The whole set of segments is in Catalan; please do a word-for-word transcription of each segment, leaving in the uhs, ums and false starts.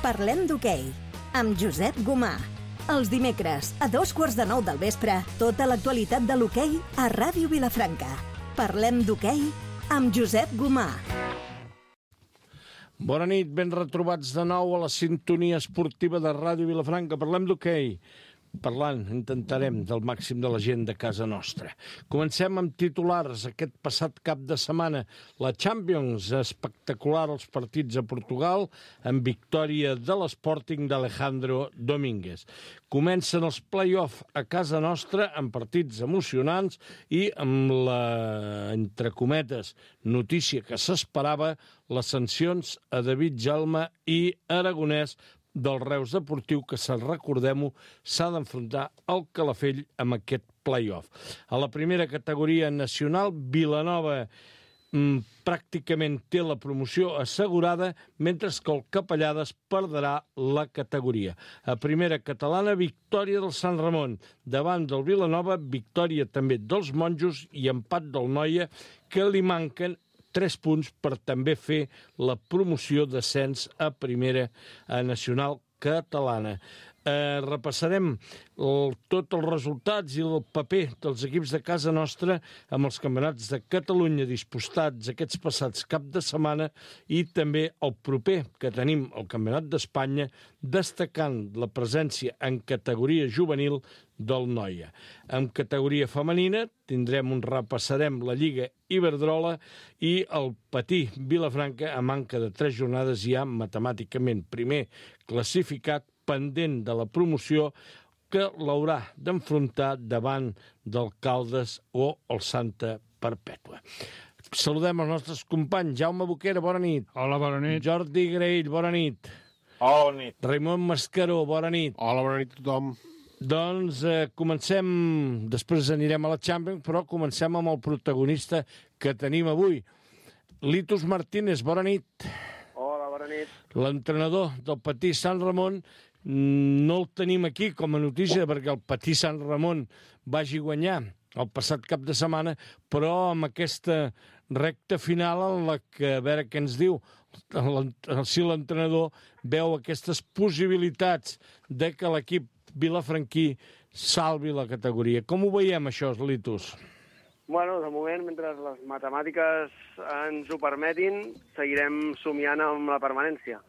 Parlem d'hoquei, amb Josep Gomà. Els dimecres, a dos quarts de nou del vespre, tota l'actualitat de l'hoquei a Ràdio Vilafranca. Parlem d'hoquei amb Josep Gomà. Bona nit, ben retrobats de nou a la sintonia esportiva de Ràdio Vilafranca. Parlem d'hoquei. Parlant, intentarem, del màxim de la gent de casa nostra. Comencem amb titulars. Aquest passat cap de setmana, la Champions, espectacular els partits a Portugal, amb victòria de l'Sporting d'Alejandro Domínguez. Comencen els play-off a casa nostra amb partits emocionants i amb la, entre cometes, notícia que s'esperava, les sancions a David Jalma i Aragonès del Reus Deportiu, que, recordem-ho, s'ha d'enfrontar al Calafell amb aquest play-off. A la primera categoria nacional, Vilanova mm, pràcticament té la promoció assegurada, mentre que el Capellades perdrà la categoria. A primera catalana, victòria del Sant Ramon. Davant del Vilanova, victòria també dels Monjos i empat del Noia, que li manquen tres punts per també fer la promoció d'ascens a primera a nacional catalana. Eh, repassarem el, tots els resultats i el paper dels equips de casa nostra amb els campionats de Catalunya disputats aquests passats cap de setmana i també el proper que tenim al Campionat d'Espanya, destacant la presència en categoria juvenil del Noia. En categoria femenina tindrem un repassarem la Lliga Iberdrola i el Patí Vilafranca, a manca de tres jornades ja matemàticament primer classificat, pendent de la promoció, que l'haurà d'enfrontar davant del Caldes o el Santa Perpètua. Saludem els nostres companys. Jaume Boquera, bona nit. Hola, bona nit. Jordi Graell, bona nit. Hola, bona nit. Raimon Mascaró, bona nit. Hola, bona nit a tothom. Doncs eh, comencem, després anirem a la Champions, però comencem amb el protagonista que tenim avui. Litus Martínez, bona nit. Hola, bona nit. L'entrenador del Patí Sant Ramon, no el tenim aquí com a notícia perquè el Patí Sant Ramon vagi guanyar el passat cap de setmana, però amb aquesta recta final en la que, a veure què ens diu, si l'entrenador veu aquestes possibilitats de que l'equip vilafranquí salvi la categoria. Com ho veiem, això, Litus? Bueno, de moment, mentre les matemàtiques ens ho permetin, seguirem somiant amb la permanència.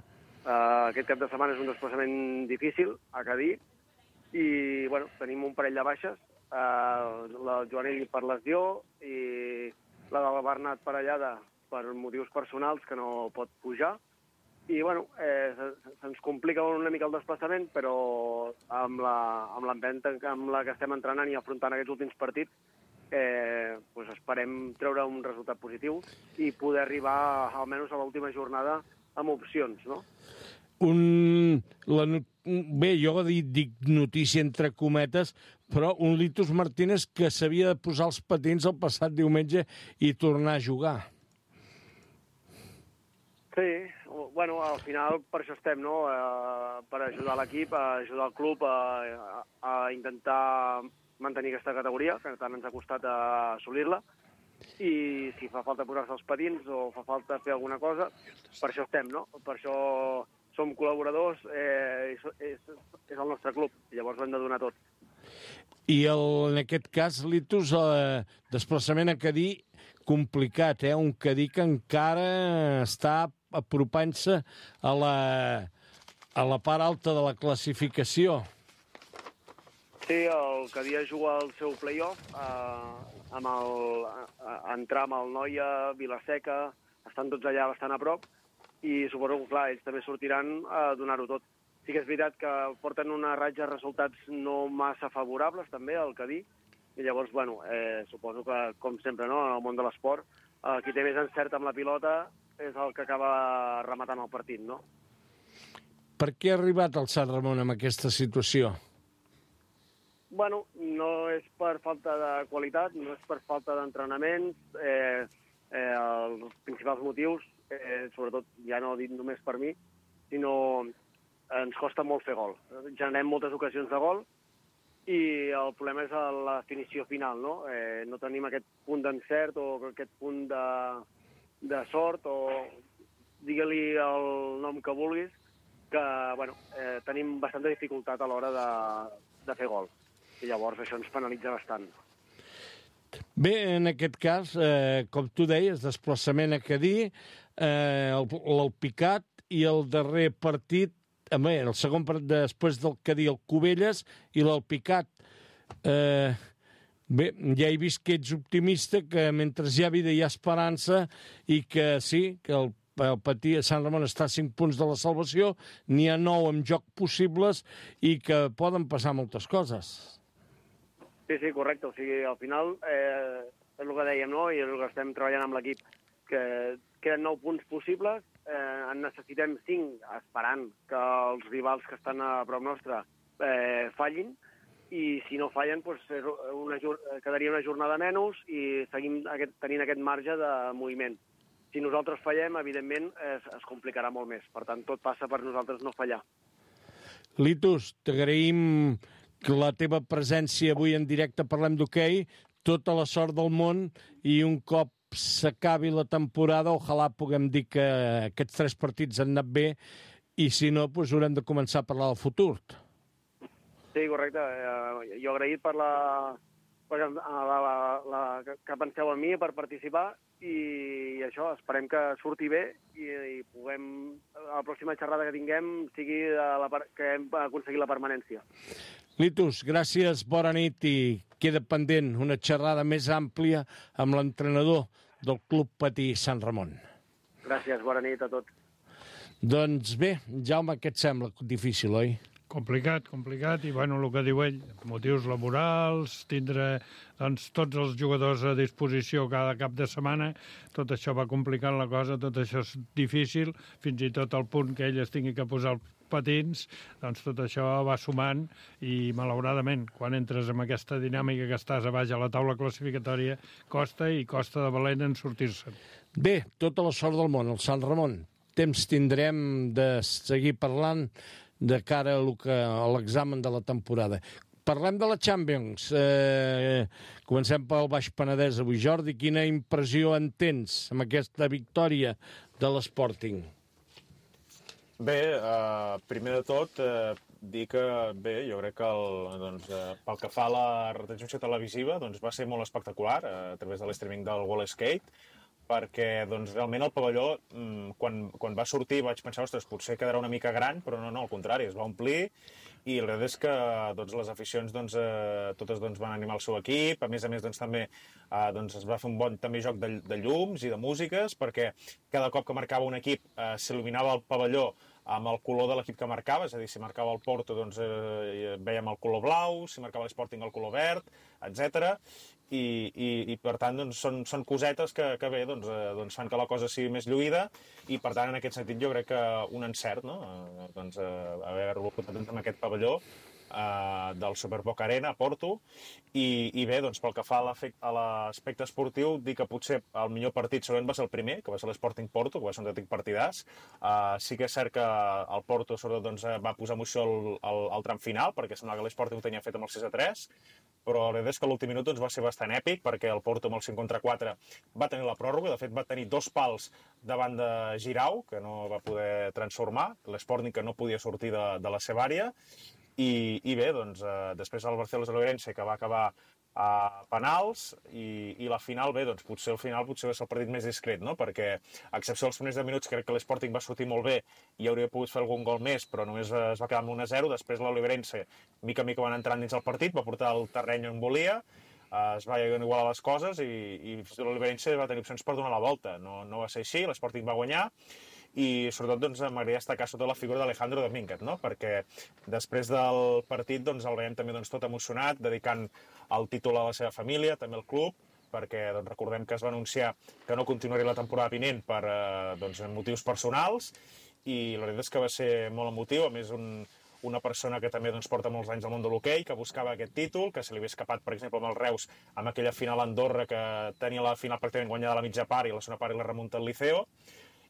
Uh, aquest cap de setmana és un desplaçament difícil a Cadí i, bueno, tenim un parell de baixes, uh, la Joanell per lesió i la del Bernat Parellada per motius personals que no pot pujar. I, bueno, eh, se'ns complica una mica el desplaçament, però amb l'empenta amb la que estem entrenant i afrontant aquests últims partits, eh, pues esperem treure un resultat positiu i poder arribar almenys a l'última jornada amb opcions, no? Un, la, bé, jo dic, dic notícia entre cometes, però un Litus Martínez que s'havia de posar els patins el passat diumenge i tornar a jugar. Sí, bueno, al final per això estem, no? Eh, per ajudar l'equip, a ajudar el club a, a, a intentar mantenir aquesta categoria, que tant ens ha costat assolir-la, i si fa falta posar-se els patins o fa falta fer alguna cosa, per això estem, no? Per això som col·laboradors, eh, és, és el nostre club, i llavors ho hem de donar tot. I el, en aquest cas, Litus, el desplaçament a Cadí, complicat, eh? Un Cadí que encara està apropant-se a la, a la part alta de la classificació. Sí, el Cadí juga el seu play-off, eh, amb el, a, a entrar amb el Noia, Vilaseca, estan tots allà bastant a prop, i suposo que, clar, ells també sortiran a donar-ho tot. Sí que és veritat que porten una ratxa de resultats no massa favorables, també, al Cadí, i llavors, bueno, eh, suposo que, com sempre, no?, en el món de l'esport, eh, qui té més encert amb la pilota és el que acaba rematant el partit, no? Per què ha arribat el Sant Ramon amb aquesta situació? Bueno, no és per falta de qualitat, no és per falta d'entrenaments. Eh, eh, els principals motius, eh, sobretot, ja no dit només per mi, sinó ens costa molt fer gol. Generem moltes ocasions de gol i el problema és la definició final, no? Eh, no tenim aquest punt d'encert o aquest punt de, de sort o digue-li el nom que vulguis, que bueno, eh, tenim bastanta dificultat a l'hora de, de fer gol. I llavors això ens penalitza bastant. Bé, en aquest cas, eh, com tu deies, desplaçament a Cadí, eh, el, el Picat i el darrer partit, bé, el segon partit després del Cadí, el Cubelles i l'Alpicat. Eh, bé, ja he vist que ets optimista, que mentre hi ha vida hi ha esperança i que sí, que el el Patí a Sant Ramon està a cinc punts de la salvació, n'hi ha nou en joc possibles i que poden passar moltes coses. Sí, sí, correcte. O sigui, al final, eh, és el que dèiem, no?, i és el que estem treballant amb l'equip, que queden nou punts possibles, eh, en necessitem cinc, esperant que els rivals que estan a prop nostre eh, fallin, i si no fallen, doncs, una, quedaria una jornada menys i seguim aquest, tenint aquest marge de moviment. Si nosaltres fallem, evidentment, es, es complicarà molt més. Per tant, tot passa per nosaltres no fallar. Litus, t'agraïm la teva presència avui en directe Parlem d'Hoquei, tota la sort del món i un cop s'acabi la temporada, ojalà puguem dir que aquests tres partits han anat bé i si no, doncs haurem de començar a parlar del futur. Sí, correcte. Eh, jo agraït per la, per la, la, la, que penseu en mi per participar i això, esperem que surti bé i, i puguem, a la pròxima xerrada que tinguem, sigui de la, que hem aconseguit la permanència. Litus, gràcies, bona nit i queda pendent una xerrada més àmplia amb l'entrenador del Club Patí Sant Ramon. Gràcies, bona nit a tots. Doncs bé, Jaume, què et sembla difícil, oi? Complicat, complicat, i bueno, el que diu ell, motius laborals, tindre doncs, tots els jugadors a disposició cada cap de setmana, tot això va complicant la cosa, tot això és difícil, fins i tot al punt que ell es tingui que posar els patins, doncs tot això va sumant i malauradament, quan entres en aquesta dinàmica que estàs a baix a la taula classificatòria, costa i costa de valent en sortir-se'n. Bé, tota la sort del món, el Sant Ramon. Temps tindrem de seguir parlant de cara a l'examen de la temporada. Parlem de la Champions. Eh, comencem pel Baix Penedès avui. Jordi, quina impressió en tens amb aquesta victòria de l'Sporting? Bé, eh, primer de tot, eh, dir que bé, jo crec que el, doncs, eh, pel que fa a la retransmissió televisiva doncs, va ser molt espectacular eh, a través de l'streaming del Wall Skate, perquè doncs, realment el pavelló, quan, quan va sortir vaig pensar, ostres, potser quedarà una mica gran, però no, no, al contrari, es va omplir, i la veritat és que doncs, les aficions doncs, eh, totes doncs, van animar el seu equip, a més a més doncs, també eh, doncs, es va fer un bon també joc de, de llums i de músiques, perquè cada cop que marcava un equip eh, s'il·luminava el pavelló amb el color de l'equip que marcava, és a dir, si marcava el Porto, doncs eh, veiem el color blau, si marcava l'Sporting el color verd, etcètera. I, i, i per tant, doncs, són, són cosetes que, que bé, doncs, eh, doncs fan que la cosa sigui més lluïda i, per tant, en aquest sentit, jo crec que un encert, no?, eh, doncs, eh, haver-lo portat en aquest pavelló Uh, del Superboc Arena a Porto i, i bé, doncs pel que fa a l'aspecte esportiu, dir que potser el millor partit segurament va ser el primer, que va ser l'Sporting Porto, que va ser un autèntic partidàs. Uh, sí que és cert que el Porto sobretot doncs, va posar emoció al, al, al tram final, perquè semblava que l'Sporting ho tenia fet amb el sis a tres, però la veritat és que l'últim minut doncs, va ser bastant èpic, perquè el Porto amb el cinc contra quatre va tenir la pròrroga, de fet va tenir dos pals davant de Girau, que no va poder transformar, l'Sporting que no podia sortir de, de la seva àrea. I, i bé, doncs, eh, després el Barcelona-Lourenço, que va acabar a penals, i, i la final, bé, doncs potser el final potser va ser el partit més discret, no?, perquè a excepció dels primers deu minuts crec que l'Sporting va sortir molt bé i hauria pogut fer algun gol més, però només es va quedar amb un a zero, després l'Lourenço, mica a mica van entrant dins el partit, va portar el terreny on volia, eh, es va igualar les coses i, i l'Lourenço va tenir opcions per donar la volta, no, no va ser així, l'Sporting va guanyar, i sobretot doncs, m'agradaria destacar sota la figura d'Alejandro Domínguez, no?, perquè després del partit doncs, el veiem també doncs, tot emocionat, dedicant el títol a la seva família, també al club, perquè doncs, recordem que es va anunciar que no continuaria la temporada vinent per eh, doncs, motius personals, i la veritat és que va ser molt emotiu, a més un, una persona que també doncs, porta molts anys al món de l'hoquei, que buscava aquest títol, que se li havia escapat, per exemple, amb el Reus, amb aquella final a Andorra, que tenia la final pràcticament guanyada a la mitja part i la segona part i la remunta al Liceo.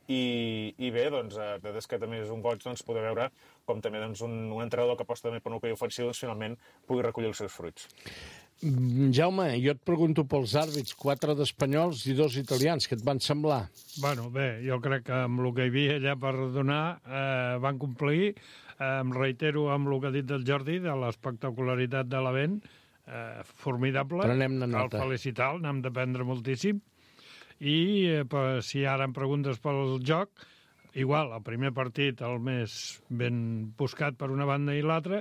I, i bé, doncs, la veritat és que també és un goig doncs, poder veure com també doncs, un, un entrenador que aposta també per un hoquei ofensiu doncs, finalment pugui recollir els seus fruits. Jaume, jo et pregunto pels àrbits, quatre d'espanyols i dos italians, què et van semblar? Bueno, bé, jo crec que amb el que hi havia allà per donar eh, van complir. Eh, em reitero amb el que ha dit del Jordi, de l'espectacularitat de l'event, eh, formidable. Prenem-ne nota. Cal felicitar, n'hem d'aprendre moltíssim. I eh, per, si ara em preguntes pel joc, igual, el primer partit el més ben buscat per una banda i l'altra,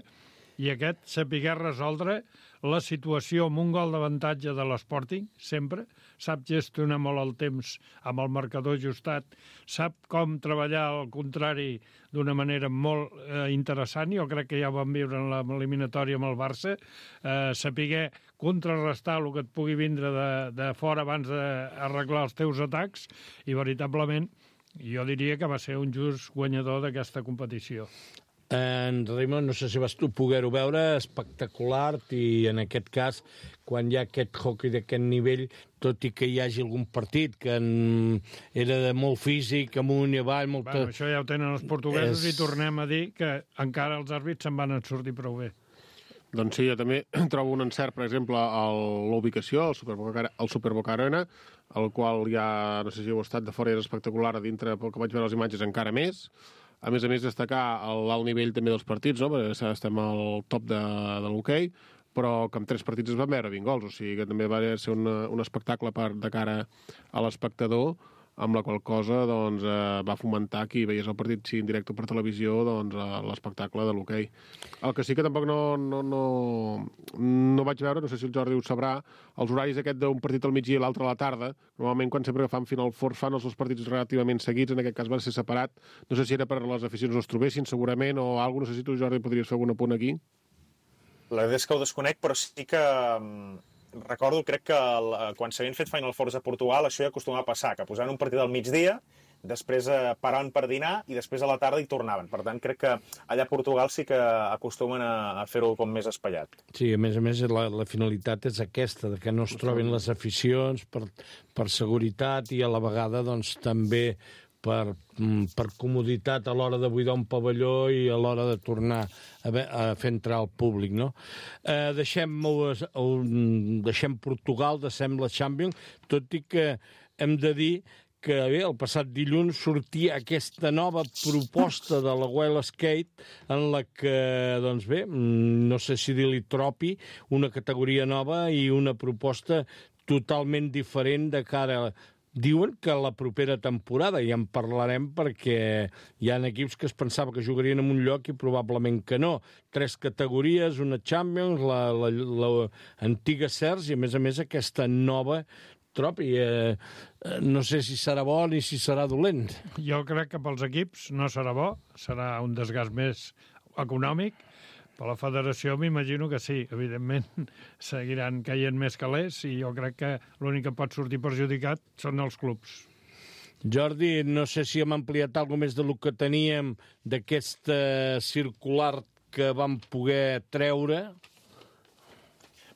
i aquest sapiguer resoldre la situació amb un gol d'avantatge de l'Sporting, sempre, sap gestionar molt el temps amb el marcador ajustat, sap com treballar al contrari d'una manera molt eh, interessant, jo crec que ja ho vam viure en l'eliminatòria amb el Barça, eh, sapiguer contrarrestar el que et pugui vindre de, de fora abans d'arreglar els teus atacs, i veritablement jo diria que va ser un just guanyador d'aquesta competició. En Raimon, no sé si vas tu poder-ho veure, espectacular, i en aquest cas, quan hi ha aquest hockey d'aquest nivell, tot i que hi hagi algun partit que en... era de molt físic, amunt i avall... Molta... Bueno, això ja ho tenen els portuguesos és... i tornem a dir que encara els àrbits se'n van sortir prou bé. Doncs sí, jo també trobo un encert, per exemple, a l'ubicació, al Superboca, al Superboca Arena, el qual ja, no sé si heu estat de fora, és espectacular, a dintre, pel que vaig veure les imatges, encara més. A més a més, destacar l'alt nivell també dels partits, no? Perquè estem al top de, de l'hoquei, però que en tres partits es van veure vint gols, o sigui que també va ser un, un espectacle per, de cara a l'espectador, amb la qual cosa doncs, eh, va fomentar qui veiés el partit sí, en directe per televisió doncs, eh, l'espectacle de l'hoquei. El que sí que tampoc no, no, no, no vaig veure, no sé si el Jordi ho sabrà, els horaris aquest d'un partit al migdia i l'altre a la tarda, normalment quan sempre que fan Final Four fan els dos partits relativament seguits, en aquest cas va ser separat, no sé si era per les aficions no es trobessin segurament o alguna cosa, no sé si tu, Jordi, podries fer algun apunt aquí. La veritat és que ho desconec, però sí que recordo, crec que el, quan s'havien fet Final Fours a Portugal, això ja acostumava a passar, que posaven un partit al migdia, després eh, paraven per dinar i després a la tarda hi tornaven. Per tant, crec que allà a Portugal sí que acostumen a, a fer-ho com més espaiat. Sí, a més a més, la, la finalitat és aquesta, de que no es trobin les aficions per, per seguretat i a la vegada doncs, també per, per comoditat a l'hora de buidar un pavelló i a l'hora de tornar a, ve, a fer entrar el públic, no? Eh, deixem, deixem Portugal, deixem la Champions, tot i que hem de dir que bé, el passat dilluns sortia aquesta nova proposta de la Wild Skate en la que, doncs bé, no sé si dir-li tropi, una categoria nova i una proposta totalment diferent de cara a... Diuen que la propera temporada, i en parlarem perquè hi ha equips que es pensava que jugarien en un lloc i probablement que no. Tres categories, una Champions, la, la, la antiga C E R S i, a més a més, aquesta nova tropi. Eh, no sé si serà bo ni si serà dolent. Jo crec que pels equips no serà bo, serà un desgast més econòmic. Per la federació m'imagino que sí, evidentment seguiran caient més calés i jo crec que l'únic que pot sortir perjudicat són els clubs. Jordi, no sé si hem ampliat alguna més de lo que teníem d'aquesta circular que vam poder treure.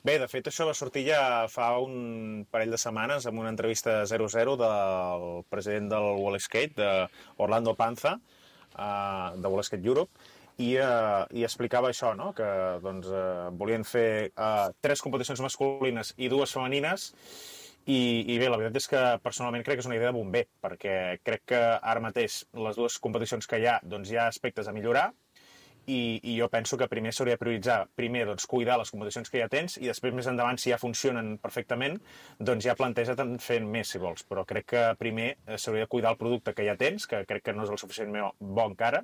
Bé, de fet, això va sortir ja fa un parell de setmanes amb una entrevista zero zero del president del World Skate, d'Orlando Panza, de World Skate Europe, I, uh, i explicava això, no? Que doncs, uh, volien fer uh, tres competicions masculines i dues femenines i, i bé, la veritat és que personalment crec que és una idea de bomber, perquè crec que ara mateix les dues competicions que hi ha doncs, hi ha aspectes a millorar i, i jo penso que primer s'hauria de prioritzar primer doncs, cuidar les competicions que ja tens i després més endavant, si ja funcionen perfectament, doncs ja planteja't fent més, si vols. Però crec que primer s'hauria de cuidar el producte que ja tens, que crec que no és el suficientment bo encara,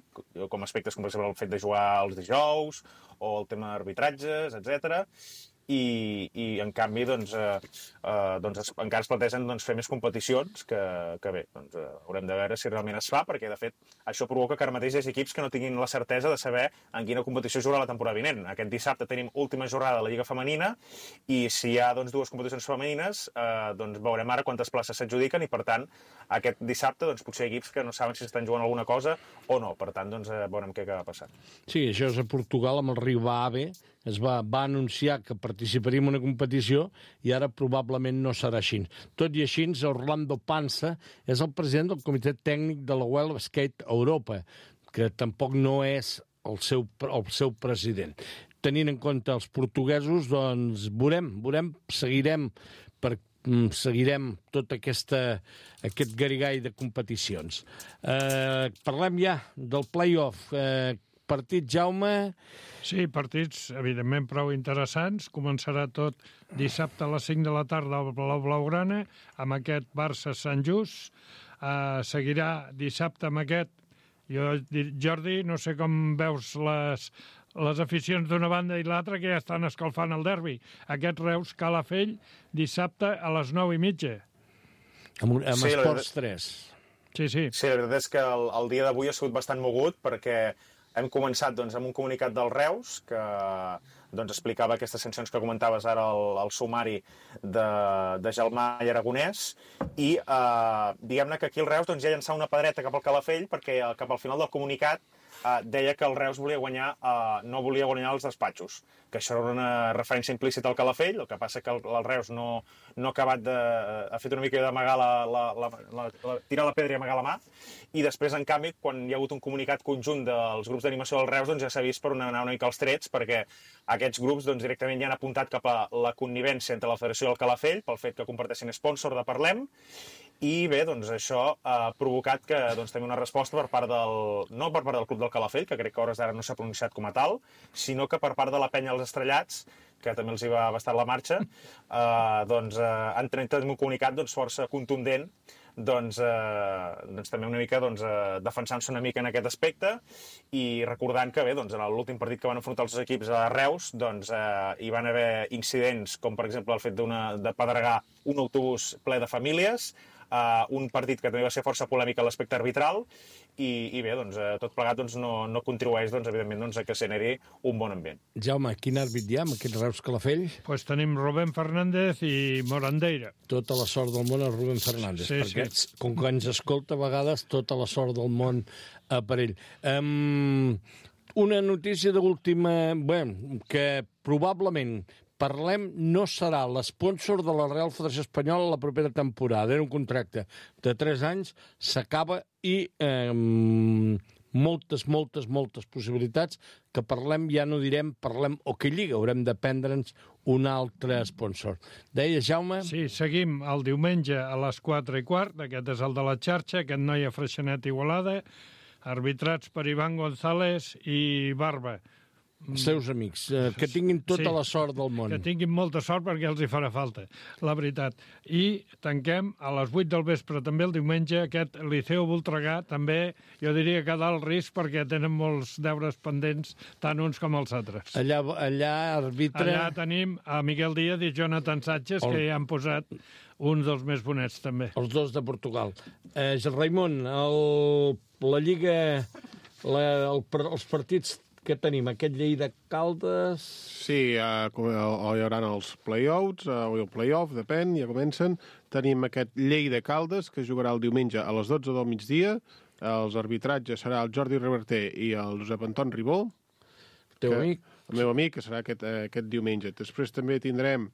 com aspectes com per exemple el fet de jugar els dijous o el tema d'arbitratges, etcètera. I, i en canvi doncs, eh, eh, doncs encara es plantegen doncs, fer més competicions que, que bé, doncs, eh, haurem de veure si realment es fa, perquè de fet això provoca que ara mateix hi hagi equips que no tinguin la certesa de saber en quina competició jugarà la temporada vinent. Aquest dissabte tenim última jornada de la Lliga Femenina i si hi ha doncs, dues competicions femenines eh, doncs veurem ara quantes places s'adjudiquen i per tant aquest dissabte doncs, potser hi ha equips que no saben si estan jugant alguna cosa o no, per tant doncs, eh, veurem què acaba passant. Sí, això és a Portugal amb el Rivave, es va, va anunciar que participaria en una competició i ara probablement no serà així. Tot i així, Orlando Panza és el president del comitè tècnic de la World Skate Europa, que tampoc no és el seu, el seu president. tenint en compte els portuguesos, doncs veurem, veurem, seguirem per seguirem tot aquesta, aquest garigall de competicions. Eh, parlem ja del play-off. Eh, partit, Jaume... Sí, partits, evidentment, prou interessants. Començarà tot dissabte a les cinc de la tarda al Palau Blaugrana, amb aquest Barça-Sant Just. Eh, seguirà dissabte amb aquest... Jo, Jordi, no sé com veus les... les aficions d'una banda i l'altra que ja estan escalfant el derbi. Aquest Reus Calafell dissabte a les nou i mitja. Amb, amb sí, Esports tres. Sí, sí. Sí, la veritat és que el, el dia d'avui ha sigut bastant mogut perquè hem començat doncs, amb un comunicat del Reus que doncs, explicava aquestes sancions que comentaves ara al, al sumari de, de Gelmà i Aragonès i eh, diguem-ne que aquí el Reus doncs, ja llançava una pedreta cap al Calafell perquè cap al final del comunicat Uh, deia que el Reus volia guanyar, uh, no volia guanyar els despatxos, que això era una referència implícita al Calafell, el que passa que el, el Reus no, no ha acabat de... ha fet una mica d'amagar la, la, la, la, la... tirar la pedra i amagar la mà, i després, en canvi, quan hi ha hagut un comunicat conjunt dels grups d'animació del Reus, doncs ja s'ha vist per anar una mica als trets, perquè aquests grups doncs, directament ja han apuntat cap a la connivència entre la Federació i el Calafell, pel fet que comparteixin sponsor de Parlem, i bé, doncs això ha provocat que doncs, també una resposta per part del... no per part del Club del Calafell, que crec que a hores d'ara no s'ha pronunciat com a tal, sinó que per part de la penya Els Estrellats, que també els hi va bastar la marxa, eh, doncs eh, han tret un comunicat doncs, força contundent, doncs, eh, doncs també una mica doncs, eh, defensant-se una mica en aquest aspecte i recordant que bé, doncs, en l'últim partit que van enfrontar els equips a Reus doncs, eh, hi van haver incidents com per exemple el fet de pedregar un autobús ple de famílies, Uh, un partit que també va ser força polèmic a l'aspecte arbitral i, i bé, doncs, uh, tot plegat doncs, no, no contribueix doncs, evidentment doncs, a que se n'eri un bon ambient. Jaume, quin àrbit hi ha amb aquest Reus Calafell? Pues tenim Rubén Fernández i Morandeira. Tota la sort del món a Rubén Fernández, sí, perquè sí. com que ens escolta a vegades tota la sort del món a per ell. Um, una notícia d'última, bueno, que probablement Parlem no serà l'espònsor de la Real Federació Espanyola la propera temporada. Era un contracte de tres anys, s'acaba i eh, moltes, moltes, moltes possibilitats que Parlem, ja no direm Parlem o que Lliga, haurem de prendre'ns un altre espònsor. Deia, Jaume? Sí, seguim el diumenge a les quatre i quart, aquest és el de la xarxa, aquest noi a Freixenet Igualada, arbitrats per Ivan González i Barba. Els seus amics, eh, que tinguin tota sí, la sort del món. Que tinguin molta sort perquè els hi farà falta, la veritat. I tanquem a les vuit del vespre també el diumenge aquest Liceu Voltregà, també jo diria que dalt risc perquè tenen molts deures pendents, tant uns com els altres. Allà, allà arbitre... Allà tenim a Miguel Díaz i Jonathan Sánchez, el... que ja han posat uns dels més bonets també. Els dos de Portugal. Eh, Raimon, el, la Lliga, la, el, els partits que tenim, aquest Lleida Caldes... Sí, uh, hi haurà els play-outs, uh, o el play-off, depèn, ja comencen. Tenim aquest Lleida Caldes, que jugarà el diumenge a les dotze del migdia. Els arbitratges serà el Jordi Reverter i el Josep Anton Ribó. El teu que, amic. El meu amic, que serà aquest, aquest diumenge. Després també tindrem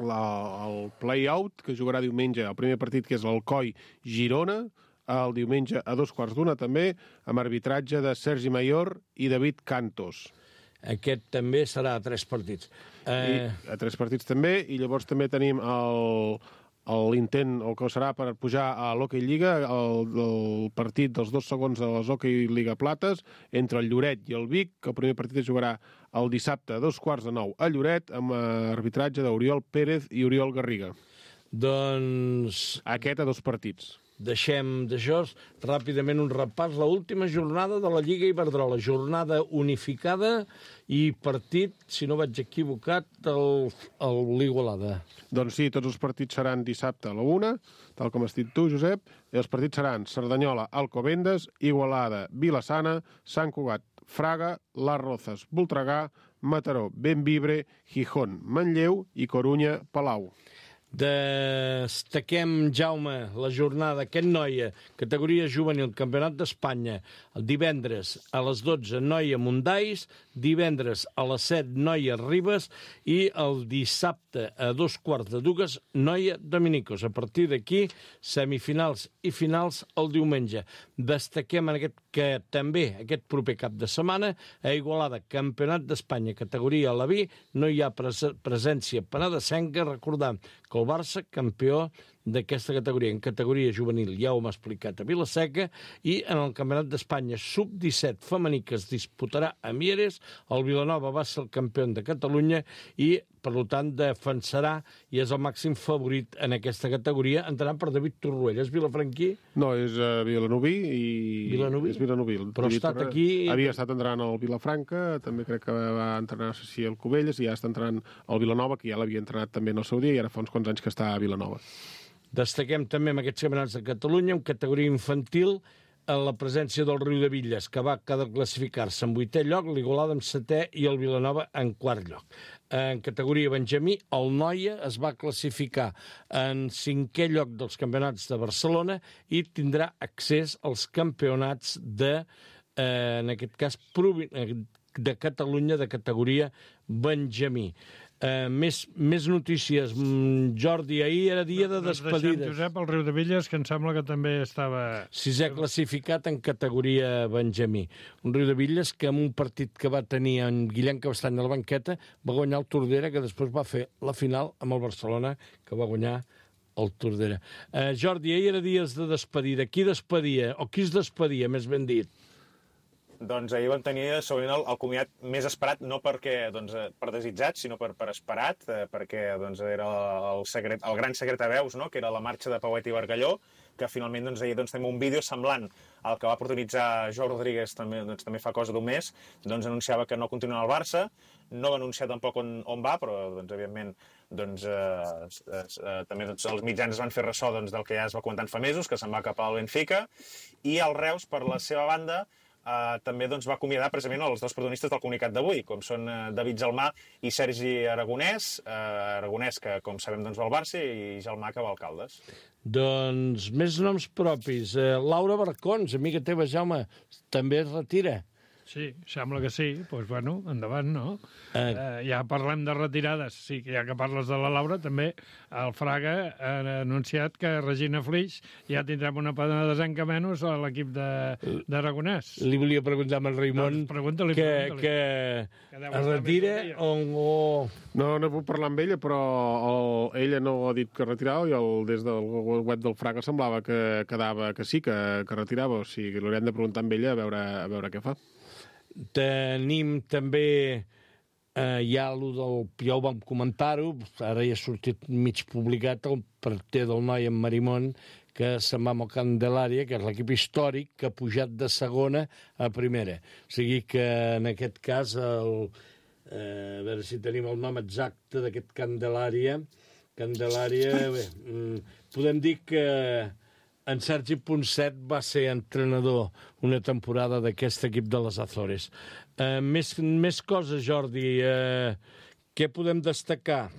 la, el play-out, que jugarà diumenge, el primer partit, que és l'Alcoi Girona, el diumenge a dos quarts d'una també, amb arbitratge de Sergi Mayor i David Cantos. Aquest també serà a tres partits. Eh... I, a tres partits també, i llavors també tenim l'intent, el que serà per pujar a l'Hockey Lliga, el, el partit dels dos segons de les Hockey Lliga Plates, entre el Lloret i el Vic, que el primer partit es jugarà el dissabte a dos quarts de nou a Lloret, amb arbitratge d'Oriol Pérez i Oriol Garriga. Doncs... Aquest a dos partits. Deixem d'això ràpidament un repàs. L'última jornada de la Lliga Iberdrola, jornada unificada i partit, si no vaig equivocat, el, el l'Igualada. Doncs sí, tots els partits seran dissabte a la una, tal com has dit tu, Josep, i els partits seran Cerdanyola, Alcobendas, Igualada, Vilassana, Sant Cugat, Fraga, Las Rozas, Voltregà, Mataró, Bembibre, Gijón, Manlleu i Corunya, Palau. Destaquem, Jaume, la jornada, aquest noia, categoria juvenil, Campionat d'Espanya, Divendres a les dotze, Noia Mundais, divendres a les set, Noia Ribes, i el dissabte a dos quarts de dues, Noia Dominicos. A partir d'aquí, semifinals i finals el diumenge. Destaquem en aquest que també aquest proper cap de setmana a Igualada, Campionat d'Espanya, categoria a la B, no hi ha pres presència penedesenca, recordant que el Barça, campió d'aquesta categoria, en categoria juvenil, ja ho hem explicat a Vilaseca, i en el Campionat d'Espanya sub disset femení que es disputarà a Mieres, el Vilanova va ser el campió de Catalunya i, per tant, defensarà i és el màxim favorit en aquesta categoria, entrant per David Torroella. És vilafranquí? No, és uh, vilanoví i... Vilanoví? És vilanoví. Però ha estat aquí... Havia estat entrenant al Vilafranca, també crec que va entrenar, no sé si al Cubelles, i ja està entrenant al Vilanova, que ja l'havia entrenat també en el seu dia, i ara fa uns quants anys que està a Vilanova. Destaquem també en aquests campionats de Catalunya, en categoria infantil, en la presència del Riu de Villes, que va cada classificar-se en vuitè lloc, l'Igualada en setè i el Vilanova en quart lloc. En categoria Benjamí, el Noia es va classificar en cinquè lloc dels campionats de Barcelona i tindrà accés als campionats de, eh, en aquest cas, de Catalunya, de categoria Benjamí. Uh, més, més notícies. Jordi, ahir era dia de despedides. Deixem Josep al Riu de Villes, que em sembla que també estava... Sisè classificat en categoria Benjamí. Un Riu de Villes que en un partit que va tenir en Guillem Cabestany a la banqueta va guanyar el Tordera, que després va fer la final amb el Barcelona, que va guanyar el Tordera. Uh, Jordi, ahir era dies de despedida. Qui despedia, o qui es despedia, més ben dit? Doncs ahir vam tenir segurament el, el comiat més esperat, no perquè, doncs, per desitjat, sinó per, per esperat, eh, perquè doncs, era el, secret, el gran secret a veus, no?, que era la marxa de Pauet i Bargalló, que finalment doncs, ahir doncs, tenim un vídeo semblant al que va protagonitzar Joao Rodríguez també, doncs, també fa cosa d'un mes, doncs anunciava que no continua al Barça, no va anunciar tampoc on, on va, però doncs, evidentment doncs, eh, eh, també doncs, els mitjans es van fer ressò doncs, del que ja es va comentant fa mesos, que se'n va cap al Benfica, i el Reus, per la seva banda, Uh, també doncs, va acomiadar precisament els dos protagonistes del comunicat d'avui, com són uh, David Gelmà i Sergi Aragonès, uh, Aragonès que, com sabem, doncs, va al Barça, i Gelmà que va al Caldes. Doncs més noms propis. Uh, Laura Barcons, amiga teva, Jaume, també es retira. Sí, sembla que sí. Doncs, pues, bueno, endavant, no? Eh. Eh, ja parlem de retirades. Sí, ja que parles de la Laura, també el Fraga ha anunciat que Regina Flix ja tindrem una penedesenca menys a l'equip d'Aragonès. Li volia preguntar a en Raimon doncs pregunta-li, que, pregunta-li. que, que es retira o... o... No, no puc parlar amb ella, però el, ella no ha dit que retirava i el, des del web del Fraga semblava que quedava que sí, que, que retirava. O sigui, l'haurem de preguntar amb ella a veure, a veure què fa. Tenim també, eh, ja, del, ja ho vam comentar-ho, ara ja ha sortit mig publicat el partit del noi en Marimón, que se'n va amb el Candelària, que és l'equip històric que ha pujat de segona a primera. O sigui que en aquest cas, el, eh, a veure si tenim el nom exacte d'aquest Candelària, Candelària, bé, podem dir que en Sergi Ponset va ser entrenador una temporada d'aquest equip de les Azores. Uh, més, més coses, Jordi. Uh, què podem destacar?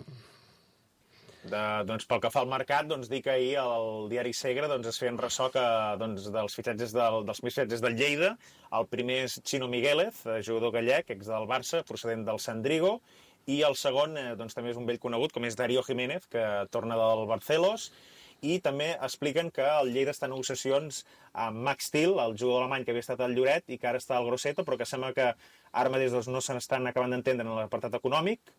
De, doncs, pel que fa al mercat, doncs, dir que ahir al diari Segre doncs, es feien ressò que, doncs, dels fitxatges del, dels fitxatges del Lleida. El primer és Chino Miguélez, jugador gallec, ex del Barça, procedent del Sandrigo, i el segon eh, doncs, també és un vell conegut, com és Darío Jiménez, que torna del Barcelos. I també expliquen que el Lleida està en negociacions amb Max Thiel, el jugador alemany que havia estat al Lloret i que ara està al Grosseto, però que sembla que ara mateix doncs, no se n'estan acabant d'entendre en l'apartat econòmic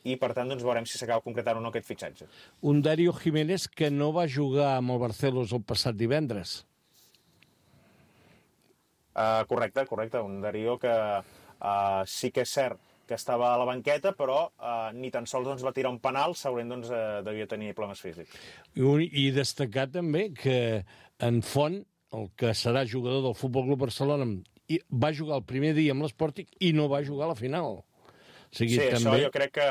i, per tant, doncs, veurem si s'acaba concretant o no aquest fitxatge. Un Darío Jiménez que no va jugar amb el Barcelos el passat divendres. Uh, correcte, correcte. Un Darío que uh, sí que és cert que estava a la banqueta, però eh, ni tan sols doncs, va tirar un penal, segurament doncs, eh, devia tenir problemes físics. I, I destacar també que en Font, el que serà jugador del Futbol Club Barcelona, va jugar el primer dia amb l'Sporting i no va jugar a la final. O sigui, sí, també... això jo crec que...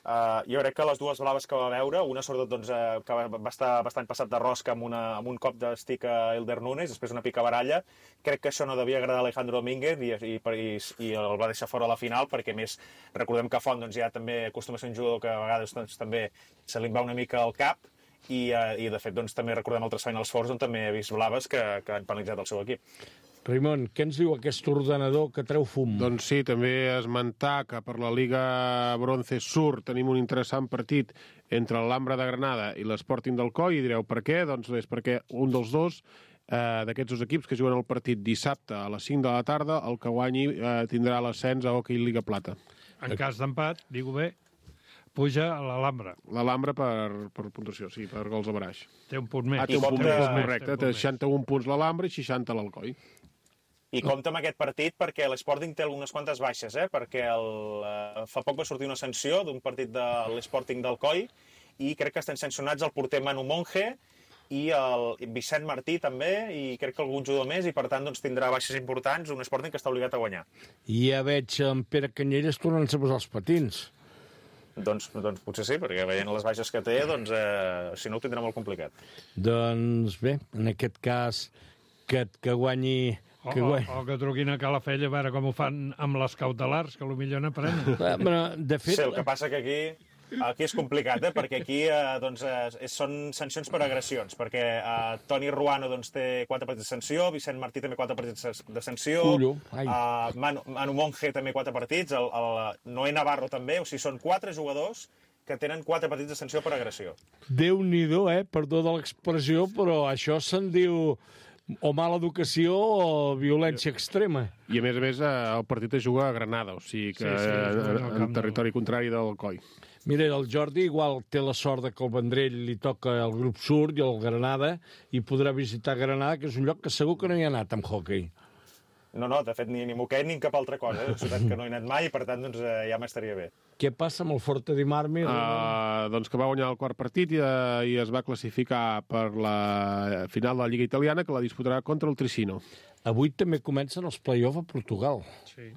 Uh, jo crec que les dues blaves que va veure, una sobretot doncs, uh, que va estar bastant passat de rosca amb, una, amb un cop d'estic a Elder Nunes, després una picabaralla, crec que això no devia agradar a Alejandro Domínguez i, i, i, i el va deixar fora a la final, perquè més recordem que Font doncs, ja també acostuma a ser un jugador que a vegades doncs, també se li va una mica al cap, i, uh, i de fet doncs, també recordem altres Finals Fours on també he vist blaves que, que han penalitzat el seu equip. Raimon, què ens diu aquest ordenador que treu fum? Doncs sí, també esmentar que per la Liga Bronce Sur tenim un interessant partit entre l'Alhambra de Granada i l'Sporting d'Alcoi, i direu per què? Doncs és perquè un dels dos eh, d'aquests dos equips que juguen el partit dissabte a les cinc de la tarda, el que guanyi eh, tindrà l'ascens a Hockey Liga Plata. En cas d'empat, digo bé, puja a l'Alhambra. L'Alhambra per, per puntuació, sí, per gols a baraix. Té un punt més. Ah, té un punt compte- més, té un correcte. Té seixanta-un punts l'Alhambra i seixanta l'Alcoi. I compta amb aquest partit perquè l'Sporting té algunes quantes baixes, eh? perquè el, eh, fa poc va sortir una sanció d'un partit de l'Sporting d'Alcoi i crec que estan sancionats el porter Manu Monge i el Vicent Martí també, i crec que algun jugador més, i per tant doncs, tindrà baixes importants, un Sporting que està obligat a guanyar. I ja veig en Pere Canyelles tornant-se a posar els patins. Doncs, doncs potser sí, perquè veient les baixes que té, doncs, eh, si no ho tindrà molt complicat. Doncs bé, en aquest cas, que, que guanyi... O, Que o, guanyi. o que truquin a Calafell a veure com ho fan amb les cautelars, que potser n'aprenen. Eh, Però, de fet... Sí, el que passa que aquí, aquí és complicat, eh? perquè aquí eh, doncs, eh, són sancions per agressions, perquè eh, Toni Ruano doncs, té quatre partits de sanció, Vicent Martí també quatre partits de sanció, Ullo, ai. eh, Manu, Manu Monge també quatre partits, el, el Noé Navarro també, o sigui, són quatre jugadors que tenen quatre partits de sanció per agressió. Déu-n'hi-do, eh? Perdó de l'expressió, però això se'n diu o mala educació o violència extrema. I a més a més eh, el partit es juga a Granada, o sigui que Sí, sí, es juga en, al en camp territori contrari del Coi. Mira, el Jordi igual té la sort de que el Vendrell li toca el grup sud i el Granada i podrà visitar Granada, que és un lloc que segur que no hi ha anat amb hockey. No, no, de fet, ni, ni moquet ni cap altra cosa. És una ciutat que no he anat mai i, per tant, doncs, eh, ja m'estaria bé. Què passa amb el Forte di Marmi? Uh, doncs que va guanyar el quart partit i, uh, i es va classificar per la final de la Lliga Italiana, que la disputarà contra el Tricino. Avui també comencen els play-off a Portugal. Sí.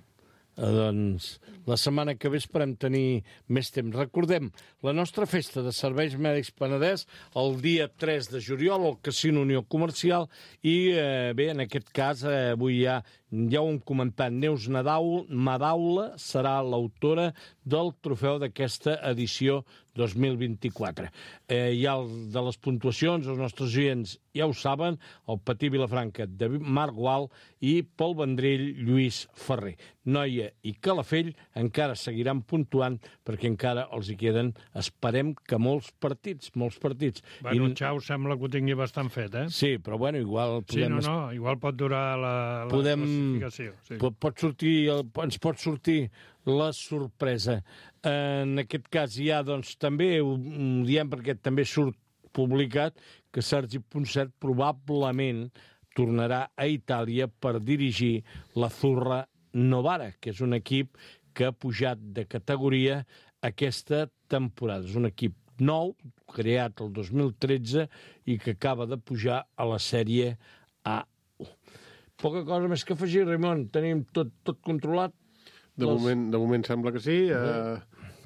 Eh, doncs la setmana que ve esperem tenir més temps. Recordem, la nostra festa de Serveis Mèdics Penedès el dia tres de juliol al Casino Unió Comercial i eh, bé, en aquest cas eh, avui ja, ja ho hem comentat, Neus Nadaul, Madaula serà l'autora del trofeu d'aquesta edició dos mil vint-i-quatre. Eh, hi ha el de les puntuacions, els nostres oients ja ho saben, el Patí Vilafranca, David Marc Gual i Pol Vendrell, Lluís Ferrer. Noia i Calafell encara seguiran puntuant perquè encara els hi queden, esperem que molts partits, molts partits. Bueno, I... Xau sembla que ho tingui bastant fet, eh? Sí, però bueno, igual Sí, podem... no, no, igual pot durar la, la podem... classificació. Sí. Pot, pot sortir, ens pot sortir la sorpresa. En aquest cas ja, doncs, també ho diem perquè també surt publicat que Sergi Ponset probablement tornarà a Itàlia per dirigir la Zurra Novara, que és un equip que ha pujat de categoria aquesta temporada. És un equip nou, creat el dos mil tretze i que acaba de pujar a la sèrie A. Poca cosa més que afegir, Raimon. Tenim tot, tot controlat. De, Les... moment, de moment sembla que sí. Eh,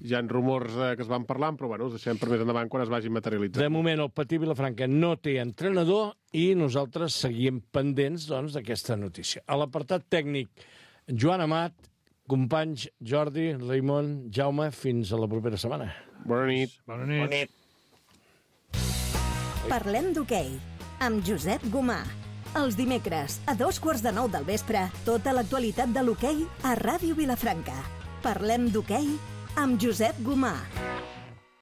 hi ha rumors eh, que es van parlant, però bueno, els deixem per més endavant quan es vagin materialitzant. De moment, el Patí Vilafranca no té entrenador i nosaltres seguim pendents doncs, d'aquesta notícia. A l'apartat tècnic, Joan Amat, companys Jordi, Raimon, Jaume, fins a la propera setmana. Bona nit. Bona nit. Bona nit. Parlem d'hoquei, amb Josep Gomà. Els dimecres, a dos quarts de nou del vespre, tota l'actualitat de l'hoquei a Ràdio Vilafranca. Parlem d'hoquei amb Josep Gomà.